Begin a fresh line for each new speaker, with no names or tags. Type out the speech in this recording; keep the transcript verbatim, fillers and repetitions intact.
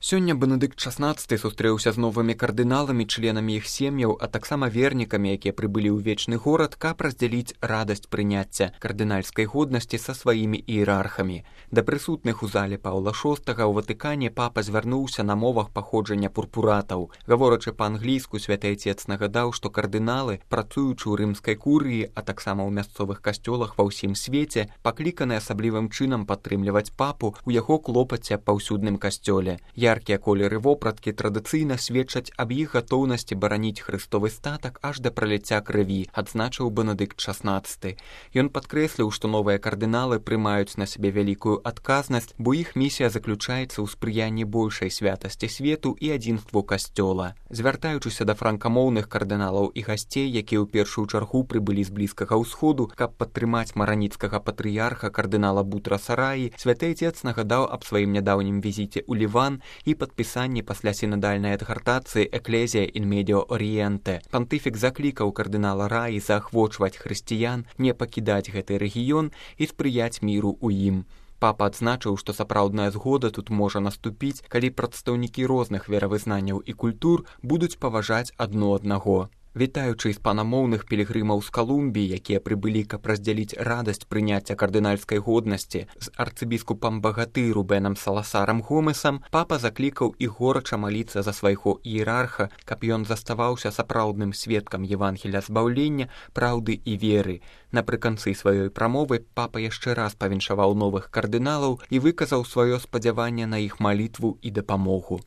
Сёння Бенедыкт шаснаццаты сустрэўся з новымі кардыналамі, членамі іх сем'яў, а таксама вернікамі, якія прыбылі ў вечны горад, каб раздзяліць радасць прыняцця кардынальскай годнасці са сваімі іерархамі. Да прысутных у зале Паўла шостага ў Ватыкане папа звярнуўся на мовах паходжання пурпуратаў. Гаворачы па-англійску, святы айцец нагадаў, што кардыналы, працуючы ў рымскай курыі, а таксама ў мясцовых касцёлах ва ўсім свеце, пакліканы асаблівым чынам падтрымліваць папу ў яго клопаце аб паўсюдным касцёле. Яркія колеры вопраткі традыцыйна сведчаць аб іх гатоўнасці бараніць хрыстовы статак аж да праліцця крыві, адзначыў Бенедыкт шаснаццаты. Ён падкрэсліў, што новыя кардыналы прымаюць на сябе вялікую адказнасць, бо іх місія заключаецца ў спрыянні большай святасці свету і адзінству касцёла. Звяртаючыся да франкамоўных кардыналаў і гасцей, якія ў першую чаргу прыбылі з блізкага ўсходу, каб падтрымаць мараніцкага патрыярха кардынала Бутраса Раі, святы айцец нагадаў аб сваім нядаўнім візіце ў Ліван і падпісанні пасля сінадальнай адгартацыі «Экклезія ін медіо орієнте». Пантыфік заклікаў кардынала Раі заахвочваць хрысціян не пакідаць гэты рэгіён і спрыяць міру ў ім. Папа адзначыў, што сапраўдная згода тут можа наступіць, калі прадстаўнікі розных веравызнанняў і культур будуць паважаць адно аднаго. Вітаючы іспанамоўных пілігрымаў з Калумбіі, якія прыбылі, каб раздзяліць радасць прыняцця кардынальскай годнасці з арцыбіскупам Багатыру Бенам Саласарам Гомесам, папа заклікаў іх горача маліцца за свайго іерарха, каб ён заставаўся сапраўдным сведкам Евангелля збаўлення, праўды і веры. Напрыканцы сваёй прамовы папа яшчэ раз павіншаваў новых кардыналаў і выказаў сваё спадзяванне на іх малітву і дапамогу.